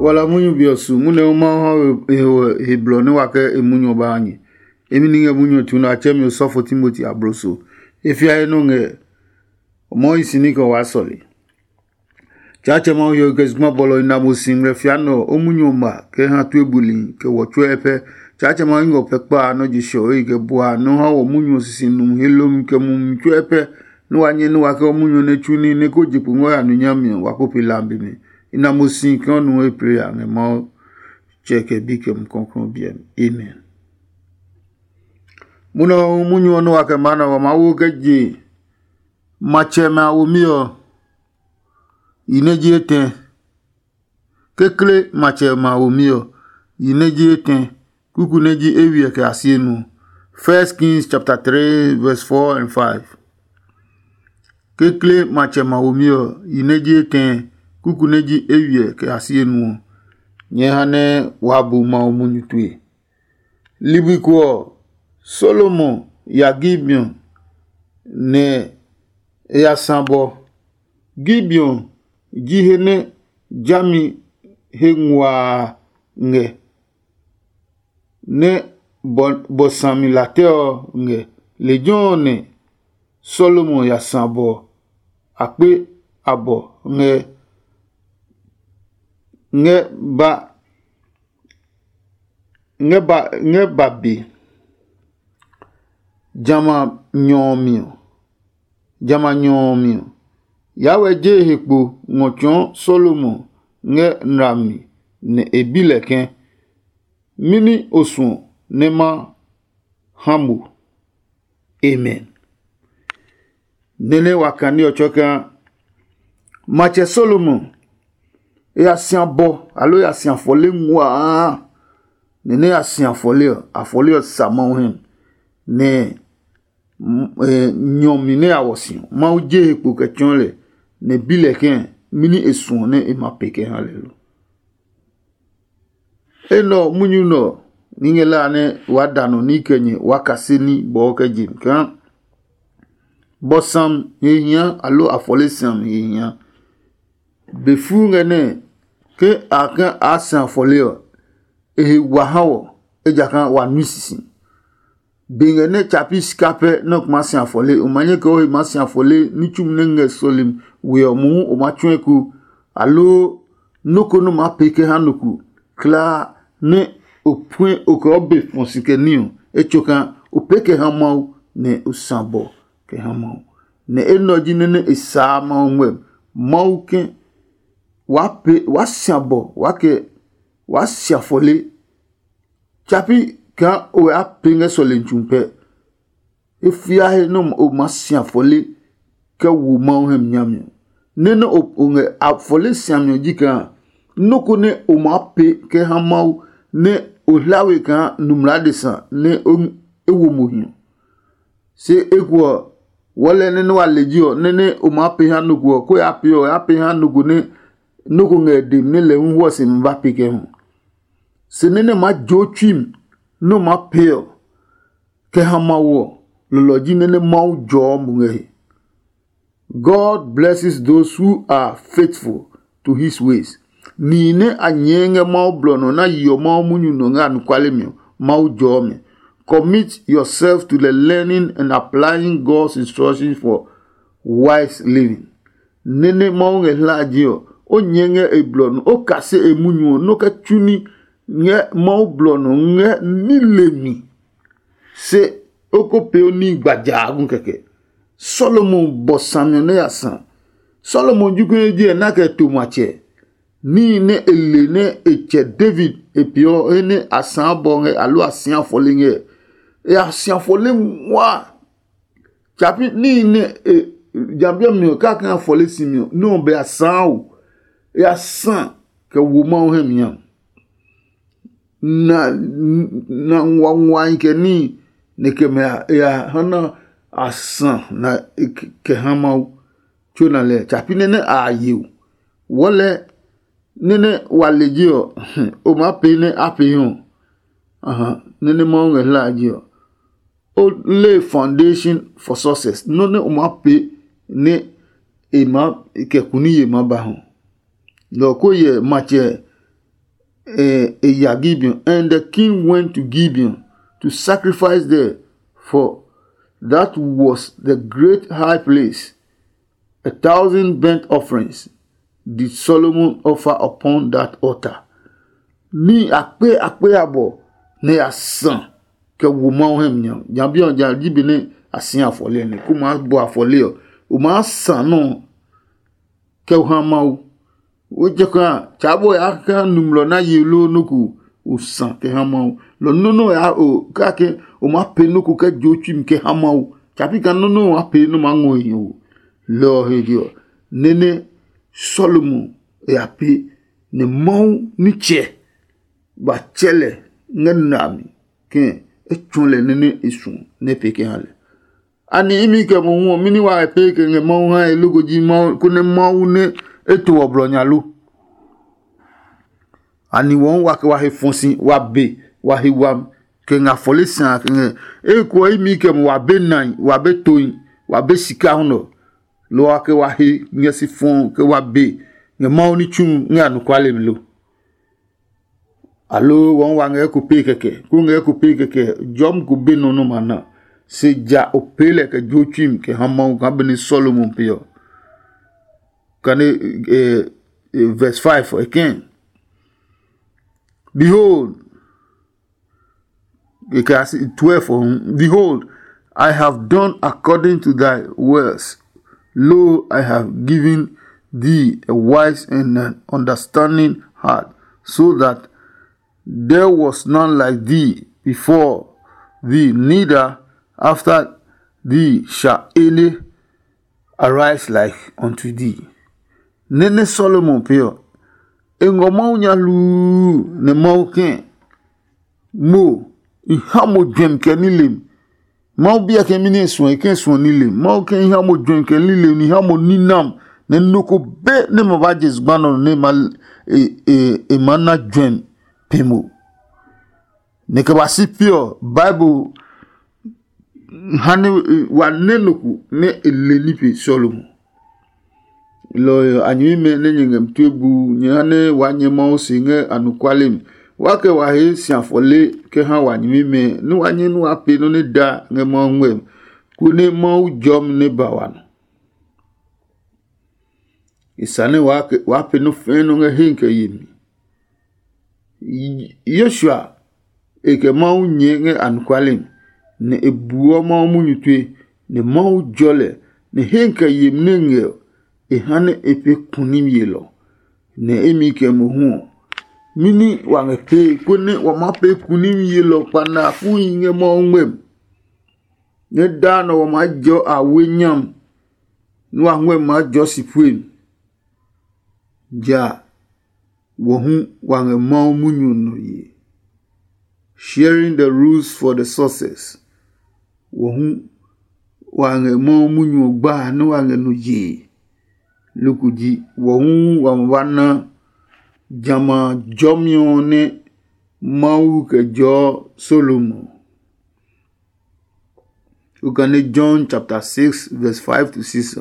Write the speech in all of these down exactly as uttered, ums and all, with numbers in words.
Wala munyu be ɔ su munyu nɛ Mawu ha we he blɔ nɛ wa kɛ e munyu ɔ ba ha nyɛ. Emi ni ngɛ munyu ɔ tsu nɛ a tsɛ mi osɔfo Timoti abloso. E fia he nɔ ngɛ o mɔ yi si ní kɛ waa sɔle. Tsaatsɛ Mawu hiɔwe kɛ zugba bɔlɔ i na mo si ngmlɛ fia nɛ ɔ, o munyu ɔ ma kɛ ha tue buli kɛ wɔ tsuɛ pɛ. Tsaatsɛ Mawu ngɔ pɛ kpa a nɔ je shɔ e kɛ bua nɔ ha wɔ munyu ɔ sisi num he lomi kɛ mumi tsuɛ pɛ. Nɛ wa nyɛ nɛ wa kɛ o munyu ɔ nɛ tsu ní nɛ ko je kpo ngɔ ya nu nyami ɔ, wa ko pe lambi mi. I na mo si kaa o nu he plee a ngɛ Mawu Tsɛ kɛ Bi kɛ Mumi Klɔuklɔu biɛ mi. Amen. Munɔ ɔ munyu ɔ nɛ wa kɛ maa nɛ wa maa wo kɛ je matsɛmɛ a womi ɔ, yi nɛ ji etɛ. Kekle matsɛmɛ a womi ɔ, yi nɛ ji etɛ, kuku nɛ ji eywiɛ kɛ a si enuɔ. First Kings chapter three verse four and five. Kekle matsɛmɛ a womi ɔ, yi nɛ ji etɛ, kuku nɛ ji eywiɛ kɛ a si enuɔ. Nyɛ ha nɛ waa bu Mawu munyu tue. Ligbi ko ɔ, Salomo ya Gibeon, nɛ e ya sã bɔ. Gibeon ji he nɛ jami he nguaa ngɛ, nɛ bɔ sami latɛ ɔ ngɛ. Lejɛ ɔ nɛ Salomo ya sã bɔ akpe abɔ ngɛ ngɛ ba ngɛ ba ngɛ ba be. Jamɛ a nyɔ ɔ mi ɔ, jamɛ a nyɔ ɔ mi ɔ, Yawɛ je he kpo ngɔ tsɔɔ Salomo ngɛ nlami, nɛ e bi lɛ ke, mɛni o suɔ nɛ ma ha mo? Amen. Nɛnɛ wa kani ɔ tsɔɔ kaa matsɛ Salomo e ya sia bɔ, aloo e ya sia fɔle nguaa. Nɛnɛ ya sia fɔle ɔ, afɔle ɔ sa Mawu hɛ, nɛ nyɔmi nɛ ya wɔ si ɔ, Mawu je he kpo kɛ tsɔɔ lɛ, nɛ bi lɛ ke, mɛni e suɔ nɛ e ma pee kɛ ha lɛ lo? Enɛ ɔ, munyu nɛ ɔ, ní ngɛ la nɛ waa da nɔ ní kɛ nyɛ waa kase ní bɔɔ kɛ je mi kaa bɔ sam he hia aloo afɔle sam he hia. Be fuu ngɛ nɛ ke a kɛ aa sã afɔle ɔ, e he wa ha wɔ, ejakaa wa nui sisi. Be ngɛ nɛ tsa pi sika pɛ nɛ o kuma si afɔle, o ma nyɛ kɛ o he maa si afɔle ní tsumi nɛ ngɛ sɔlemi we ɔ mohu o ma tsɔ̃ eko, aloo nɔ́ ko nɛ o maa pee kɛ ha nɔ ko kulaa nɛ o puɛ o kɛ o be fɔ si kɛ ní ɔ, etsokaa o pee kɛ ha Mawu, nɛ o sã bɔ kɛ ha Mawu. Nɛ enɛ ɔ ji nɛ nɛ e saa Mawu ngmɛmi. Mawu ke waa pee waa sia bɔ waa kɛ waa sia fɔle. Tsa pi kaa o ya pee ngɛ sɔlemi tsu pɛ. E fia he nɛ o maa si afɔle kɛ wo Mawu hɛ mi nyami ɔ. Nɛ nɛ o ngɛ afɔle siami ɔ ji kaa nɔ́ ko nɛ o maa pee kɛ ha Mawu nɛ o hla we kaa numla adesa nɛ e wo mo hi ɔ. Se eko ɔ, wɔɔ lɛ nɛ nɛ wa le ji ɔ, nɛ nɛ o maa pee ha nɔ ko ɔ, ko yaa pee ɔ, o yaa pee ha nɔ ko nɛ nɔ́ ko ngɛ e demi nɛ lɛ hu hwɔ se mi ba pee kɛ hu. Se nɛ nɛ maa joo tsui mi nɛ o maa pee ɔ, kɛ ha Mawu ɔ, lɔlɔ ji nɛ nɛ Mawu jɔɔ mo ngɛ he. God blesses those who are faithful to his ways. Nihi nɛ a nyɛɛ ngɛ Mawu blɔ nɔ nɛ a yeɔ Mawu munyu nɔ ngɛ anɔkuale mi ɔ, Mawu jɔɔ mɛ. Commit yourself to the learning and applying God's instructions for wise living. Nɛ́ nɛ Mawu ngɛ hlaje ɔ, o nyɛɛ ngɛ e blɔ nɔ, o kase e munyu ɔ, nɔ́ kɛ tsu ní ngɛ Mawu blɔ nɔ ngɛ ní le mi. Se o ko pee o níhi gbajagu kɛkɛ. Salomo bɔ sami ɔ nɛ ya sa. Salomo jokuɛ ji ɛ na kɛ to matsɛ. Níhi nɛ e le nɛ e tsɛ David e peeɔ he nɛ a sãa bɔ ngɛ aloo a sia fɔle ngɛ, e ya sia fɔle nguaa. Tsapi níhi nɛ e jambi ɔ mi ɔ kaka fɔle si mi ɔ, nɛ ɔ bɛ a sãa o. E ya sa kɛ wo Mawu hɛ mi a. Na na nguanguai kɛ níhi nɛ kɛ mɛ a ya ha na a sa na kɛ ha Mawu tso na lɛ. Tsapi nɛ nɛ a ye o. Wɔlɛ nɛ nɛ wa le je ɔ, o maa pee nɛ a pee ɔ. Aha, nɛ nɛ Mawu ngɛ hla je ɔ. O lay foundation for success. Nɔ́ nɛ o maa pee nɛ e maa kɛ kuni ye maa ba hɔ. Lɔ ko yɛ matsɛ eh, e ya Gibeon, and the king went to Gibeon to sacrifice there, for that was the great high place. A thousand burnt offerings did Solomon offer upon that altar. Ní akpe akpe abɔ nɛ ya sã kɛ wo Mawu hɛ mi nya. Nya bi ɔ ja ji be nɛ a si afɔle nɛ ko maa bɔ afɔle ɔ, o maa sã nɔ kɛ ha Mawu. Wo jɛ kã tsa bɔ ya kã numlɔ na ye lo nɔ ko o sã kɛ ha Mawu. Lɔ nɔ nɔ ya o kake o ma pe nɔ ko kɛ jo tsuim kɛ ha Mawu. Tsa pi ka nɔ nɔ wa pe nɔ ma ngɔ ye o. Lɔ he je ɔ, nene Solomon ya pe nɛ Mawu nitsɛ ba tsɛ lɛ ngɛ na mi kɛ e tsɔ lɛ nene e suɔ nɛ e pee kɛ ha lɛ. Ani imi kɛ mohu ɔ, mɛni wa e pee kɛ ngɛ Mawu hae loko ji Mawu konɛ Mawu nɛ e to ɔ blɔ nya lo? Ani wɔɔ wa kɛ wa he fɔ si wa be wa he wam kɛ ngɛ afɔle sã kɛ ngɛ eko ɔ imi kɛ mo wa be nai wa be toi wa be sika hu nɔ, lo wa kɛ wa he ngɛ si fɔ kɛ wa be ngɛ Mawu ní tsu ngɛ anɔkuale mi lo? Aloo wɔɔ wa ngɛ eko pee kɛkɛ ko ngɛ eko pee kɛkɛ jɔmi ko be nɔ nɔ ma na? Se ja o pee lɛ kɛ jo tsuim kɛ ha Mawu kaa benɛ Solomon pe ɔ. Kane eh, eh, verse five again. Behold, you can see twelve for him. Behold, I have done according to thy words. Lo, I have given thee a wise and an understanding heart, so that there was none like thee before thee, neither after thee shall any arise like unto thee. Nene Solomon pe ɔ, e ngɔ Mawu nya hluu nɛ Mawu kɛ̃ mo i ha mo juɛmi kɛ nilem. Mawu biɛ kɛ mi nɛ e suɔ e kɛ suɔ nilem. Mawu kɛ i ha mo juɛmi kɛ nilem ni ha mo ninam nɛ nɔ ko be nɛ ma ba je zugba nɔ nɛ ma e e e ma na juɛmi pe mo. Nɛ kɛ ba si pi ɔ, Bible ha nɛ wa nɛ nɔ ko nɛ e le ní pe Solomon. Lɔ ɔ a nyɛmimɛ nɛ nyɛ ngɛ mi tue bu nyɛ ha nɛ waa nyɛ Mawu se ngɛ anɔkuale mi. Wa kɛ wa he si afɔle kɛ ha wa nyɛmimɛ nɛ wa nyɛ nɛ wa pee nɔ́ nɛ da ngɛ Mawu ngmɛmi, konɛ Mawu jɔmi nɛ ba wa nɔ. E sa nɛ waa pee nɔ́ fɛ̃ɛ nɔ́ ngɛ hee kɛ yemi. Yoshua e kɛ Mawu nyɛɛ ngɛ anɔkuale mi, nɛ e buɔ Mawu munyu tue, nɛ Mawu jɔ lɛ, nɛ hee kɛ yemi nɛ ngɛ ɔ, e ha nɛ e pee kunim yelɔ, nɛ imi kɛ mohu ɔ, mɛni wa ngɛ pee konɛ wa maa pee kunim yelɔ kpanakuhi ngɛ Mawu ngmɛmi? Nɛ daa nɔ wa maa jɔ awe nyami, nɛ wa ngmɛmi maa jɔ si puemi. Ja wɔ hu wa ngɛ Mawu munyu ɔ nɔ ye. Sharing the rules for the success. Wɔ hu wa ngɛ Mawu munyu ɔ gba nɛ wa ngɛ nɔ yee. Loko ji wɔ hu wa ma ba na jamɛ a jɔmi ɔ nɛ Mawu kɛ jɔɔ Solomon. Okane John chapter six verse five to six.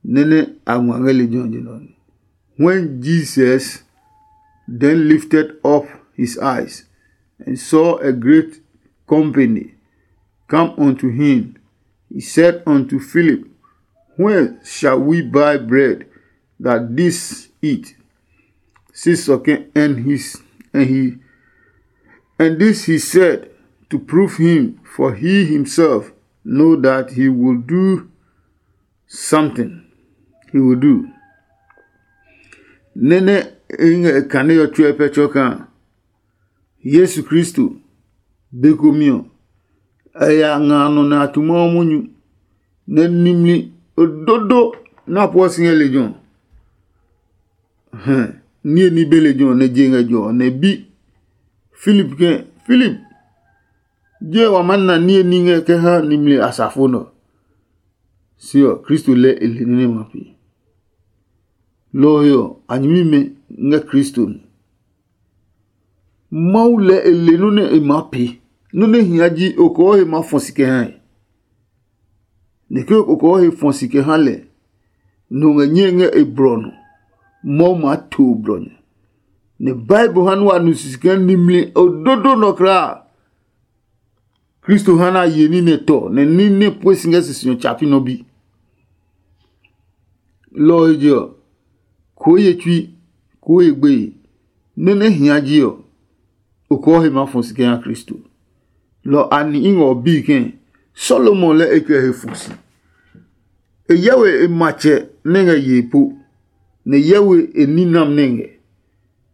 Nene a ngma ngɛ lejɛ ɔ je nɔ. When Jesus then lifted up his eyes and saw a great company come unto him, he said unto Philip, "Where shall we buy bread that this eat?" Six again, and his and he and this he said to prove him, for he himself know that he will do something. He will do. Nene e ngɛ kane ɔ tsuɛ pɛ tsɔ kaa Yesu Kristo be komi ɔ, a ya nga nɔ nɛ a tu Mawu munyu, nɛ nimli ododo nɛ a pueɔ si ngɛ lejɛ ɔ. Hɛ, niye ní be lejɛ ɔ nɛ je ngɛ jɔ ɔ nɛ bi Filip ke, Filip, je wa maa na niye ní ngɛ kɛ ha nimli asafo nɛ ɔ? Se ɔ, Kristo lɛ e le nɔ́ nɛ ma pee. Lɔ ɔ he ɔ, a nyɛmimɛ ngɛ Kristo mi. Mawu lɛ e le nɔ́ nɛ e maa pee. Nɔ́ nɛ hia ji okɔɔ he maa fɔ si kɛ ha ɛ. Nɛ ke okɔɔ he fɔ si kɛ ha lɛ, nɔ ngɛ nyɛe ngɛ e blɔ nɔ, Mawu maa to blɔ nyɛ. Nɛ Bible ha nɛ wa nu sisi kaa nimli ododo nɔ kulaa. Kristo ha nɛ a ye ní nɛ tɔ, nɛ ní nɛ pue si ngɛ sisi ɔ tsa pi nɔ bi. Lɔ ɔ he je ɔ, koo ye tsui, koo ye gbeye, nɔ́ nɛ hia ji ɔ, okɔɔ he maa fɔ si kɛ ha Kristo. Lɔ a ni i ngɛ ɔ bii kɛ̃, Solomon lɛ e kɛ he fɔ si. E hyɛ we e matsɛ nɛ ngɛ yee po, nɛ e hyɛ we e ninam nɛ ngɛ.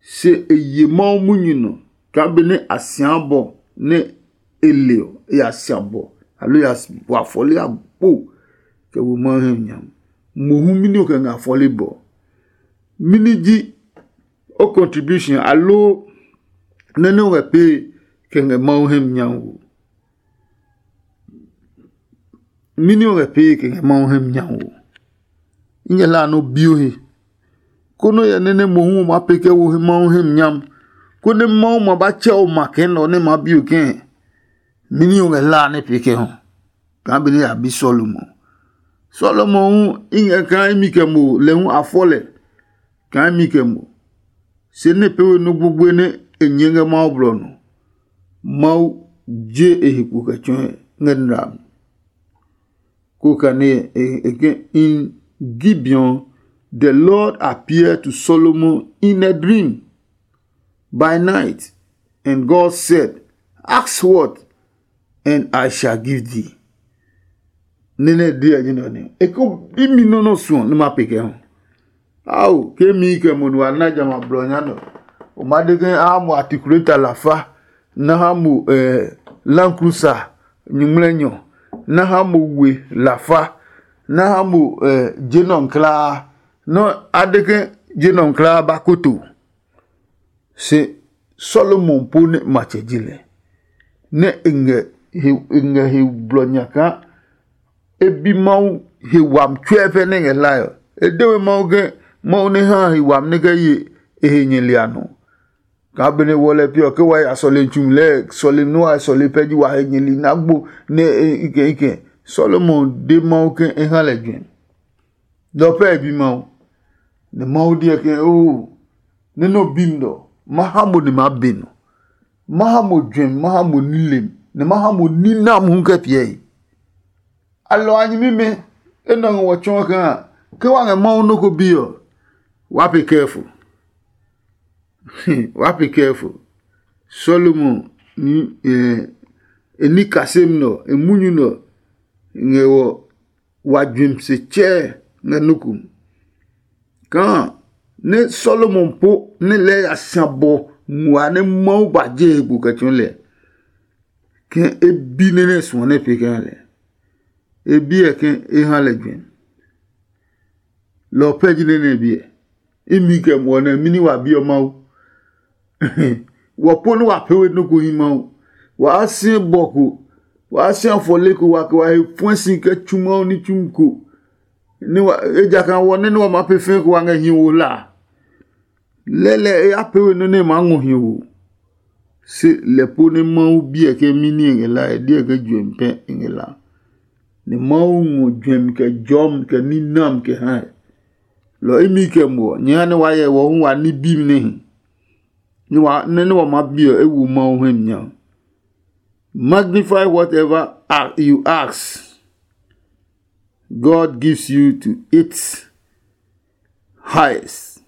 Se e ye Mawu munyu nɔ kaa benɛ a sia bɔ nɛ e le ɔ, e ya sia bɔ, aloo e ya bɔ afɔle agbo kɛ wo Mawu hɛ nya. Mohu mɛni o kɛ ngɛ afɔle bɔ? Mɛni ji o contribution aloo nɛ nɛ o ngɛ pee kɛ ngɛ Mawu hɛ nya wo? Mɛni o ngɛ pee kɛ ngɛ Mawu hɛ nya wo? I ngɛ hlaa nɛ o bi o he, konɛ o hyɛ nɛ nɛ mohu o maa pee kɛ wo he Mawu hɛ mi nyam, konɛ Mawu ma ba tsɛ o ma kɛ nɛ ɔ nɛ maa bi o kɛɛ? Mɛni o ngɛ hlaa nɛ pee kɛ hu? Kaa benɛ a bi Solomon. Solomon hu i ngɛ kaa imi kɛ mo lɛ hu a fɔ lɛ kaa imi kɛ mo. Se nɛ pee we nɔ́ gbogboe nɛ e nyɛɛ ngɛ Mawu blɔ nɔ. Mawu je e he kpo kɛ tsɔɔe ngɛ nra mi. Ko kane e ke in Gibeon, the Lord appeared to Solomon in a dream by night, and God said, "Ask what, and I shall give thee." Nene dia jina ne. E ko bi mi no no suɔ ne ma pe kɛ ho. Ao, ke mi kɛ mo nu ana jama blɔ nya no. O ma de ke a mo articulator la fa. Na ha mo eh, Land Cruiser nyuŋmlɛnyɔ. Na ha mo we la fa. Na ha mo eh, je nɔ klaa. No a de ke je nɔ klaa ba koto. Se Solomon po nɛ matsɛ ji lɛ, nɛ e ngɛ he e ngɛ he blɔ nya kaa e bi Mawu he wami tsuɛ pɛ nɛ ngɛ hlae ɔ. E de we Mawu ke Mawu nɛ ha he wami nɛ kɛ ye e he nyɛli a nɔ. Kaa benɛ wɔ lɛ pi ɔ ke wa ya sɔlemi tsumi lɛɛ sɔlemi nɛ wa sɔle pɛ ji wa he nyɛli nɛ agbo nɛ e ikɛ ikɛ. Solomon de Mawu ke e ha lɛ juɛ. Lɔ pɛ e bi Mawu. Nɛ Mawu deɛ ke oo, nɛ nɔ bi mi nɔ, ma ha mo nɛ ma be nɔ. Ma ha mo juɛmi, ma ha mo nilem, nɛ ma ha mo ninam hu kɛ piɛe. A lɔ a nyɛmimɛ enɛ ɔ ngɛ wɔ tsɔɔ kaa ke wa ngɛ Mawu nɔ́ ko bi ɔ, waa pe kɛɛfo. Waa pe kɛɛfo. Solomon ni eh, e ní kasem nɛ ɔ, e munyu nɛ ɔ ngɛ wɔ wa juɛmi se tsɛɛ ngɛ nɔ́ ko mi. Kaa nɛ Solomon po nɛ lɛɛ ya sia bɔ ngua nɛ Mawu ba je he kpo kɛ tsɔɔ lɛ, ke e bi nɛ nɛ suɔ nɛ pee kɛ ha lɛ. E biɛ ke e ha lɛ juɛmi. Lɔ ɔ pɛ ji nɛ nɛ biɛ. Imi kɛ muɔ nɛ mini wa bi ɔ Mawu. Wɔ po nɛ wa pee we nɔ́ ko hi Mawu. Waa si bɔ ko, waa si afɔle ko wa kɛ wa he fuɛ si kɛ tsu Mawu ní tsumi ko. Ejakaa wɔ nɛ nɛ wa maa pee fɛɛ ko wa ngɛ hi wo hla. Lɛlɛ e ya pee we nɔ́ nɛ e maa ngɔ hi wo. Se lɛ po nɛ Mawu biɛ ke mini e ngɛ la e diɛ ke juɛmi pɛ e ngɛ la. Nɛ Mawu ngɔ juɛmi kɛ jɔmi kɛ ní nam kɛ hae. Lɔ imi kɛ muɔ nyɛ ha nɛ wa hyɛ wɔ hu wa ní bimi nɛ hi. Nɛ wa nɛ nɛ wa maa bi ɔ e wu Mawu hɛ mi nya. Magnify whatever a- you ask. God gives you to its highest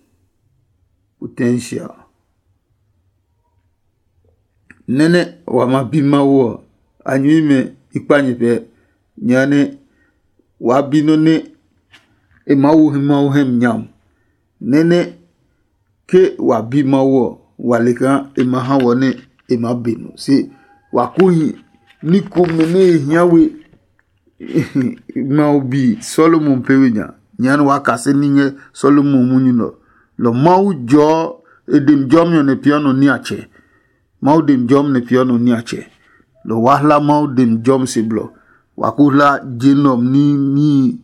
potential. Nɛnɛ wa ma bi Mawu ɔ, a nyɛmimɛ i kpa nyɛ pɛ, nyɛ nɛ waa bi nɔ́ nɛ e maa wo he Mawu hɛ mi nyam. Nɛnɛ ke wa bi Mawu ɔ, wa le kaa e ma ha wɔ nɛ e maa be nɔ. Se wa kuhi ní komɛ nɛ e hia we Mawu bi Solomon pee we nya. Nyɛɛ nɛ waa kase ní ngɛ Solomon munyu nɛ ɔ. Lɔ Mawu jɔɔ e demi jɔmi ɔ nɛ peeɔ nɔ niatsɛ. Mawu demi jɔmi nɛ peeɔ nɔ niatsɛ. Lɔ waa hla Mawu demi jɔmi se blɔ. Wa ko hla je nɛ ɔ ní níhi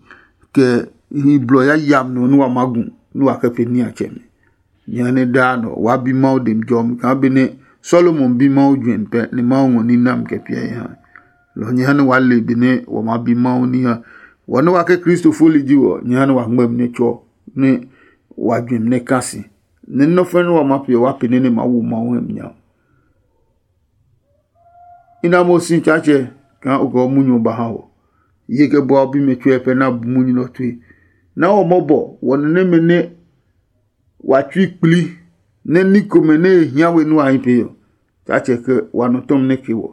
kɛ hi blɔ yayami nɔ nɛ wa maa gu nɛ wa kɛ pee niatsɛmɛ. Jehanɛ daa nɔ waa bi Mawu demi jɔmi kaa benɛ Solomon bi Mawu juɛmi pɛ nɛ Mawu ngɔ ní nami kɛ piɛ e ha. Lɔ ɔ jehanɛ waa le benɛ wa maa bi Mawu ní ha. Wɔ nɛ wa ke Kristo foli ji wɔ, jehanɛ wa ngmɛmi nɛ tsɔ nɛ wa juɛmi nɛ ka si. nɛ nɔ́ fɛ̃ nɛ wa maa pee ɔ, wa pee nɛ nɛ maa wo Mawu hɛ mi nya. I na mo si Tsaatsɛ kaa o kɛ o munyu ɔ ba ha wɔ. Ye kɛ bua o bimɛ tsuɛ pɛ na bu munyu nɛ ɔ tue. Na wɔ mɔbɔ wɔ nɛ nɛmɛ nɛ wa tsui kpli nɛ ní komɛ nɛ e hia we nua a hi pee ɔ. Tsaatsɛ kɛ wa nɔ tɔmi nɛ ke wɔ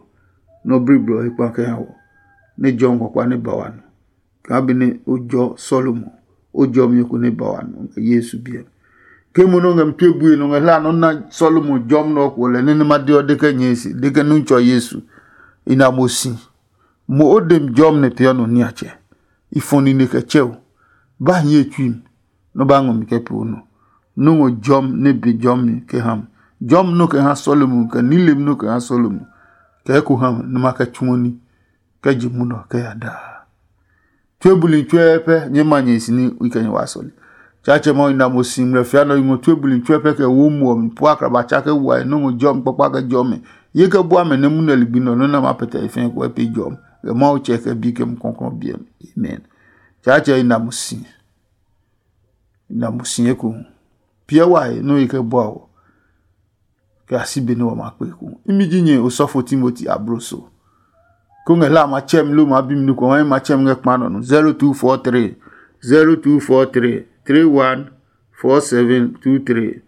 nɛ o bliblɔ he kpa kɛ ha wɔ, nɛ jɔmi kpakpa nɛ ba wa nɔ. Kaa benɛ o jɔ Salomo, o jɔmi ko nɛ ba wa nɔ ngɛ Yesu biɛ mi. Ke mo nɔ ngɛ mi tue bue nɔ ngɛ hla nɔ na Salomo jɔmi nɛ ɔ kuɔ lɛ nɛ nɛ ma de ɔ de kɛ nyɛe se de kɛ nu tsɔ Yesu. I na mo si. Mo o de mi jɔmi nɛ peeɔ nɔ niatsɛ. I fɔ nine kɛ tsɛ o. Ba hiɛ tsui mi, nɔ ba ngɔ mi kɛ pee o nɔ. Nɔ́ ngɔ jɔmi nɛ be jɔmi kɛ ha mi. Jɔmi nɔ kɛ ha Salomo kɛ nilem nɔ kɛ ha Salomo. Kɛ eko ha mi nɛ ma kɛ tsuɔ ní kɛ je munɔ kɛ ya daa. Tue buli tsuɛ pɛ nyɛ ma nyɛ si ní i kɛ nyɛ wa sɔle. Tsaatsɛ Mawu i na mo si ngmlɛ fia nɔ i ngɔ tue buli tsuɛ pɛ kɛ wo muɔ mi pua akraba tsa kɛ wa nɔ́ ngɔ jɔmi kpakpa kɛ jɔmi. Ye kɛ bua mɛ nɛ munɛ ligbi nɔ nɔ́ nɛ ma pɛtɛ e fɛɛ kɛ pe jɔmi. Kɛ Mawu tsɛ kɛ bi kɛ mu kɔnkɔn biɛ mi. Amen. Tsaatsɛ i na mo si. I na mo si eko. Piɛ wa he nɔ́ ye kɛ bua o. Kɛ a si be nɛ wa ma kpe eko. Imi ji nyɛ osɔfo Timoti abloso. Ko ngɛ hla ma tsɛ mi lo ma bi mi nukɔ ma ma tsɛ mi ngɛ kpa nɔ nu. Zero two four three, zero two four three, three one four seven two three.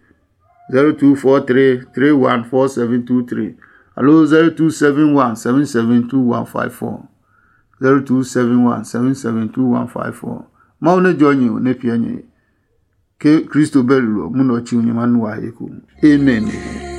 Zero two four three, three one four seven two three. Alo zero two seven one seven seven two one five four. Zero two seven one seven seven two one five four. Mawu nɛ jɔ nyɛ o nɛ piɛ nyɛ. Ke Kristo bɛ lulɔ munɔ tsi nyɛ ma nu wa he ko. Amen.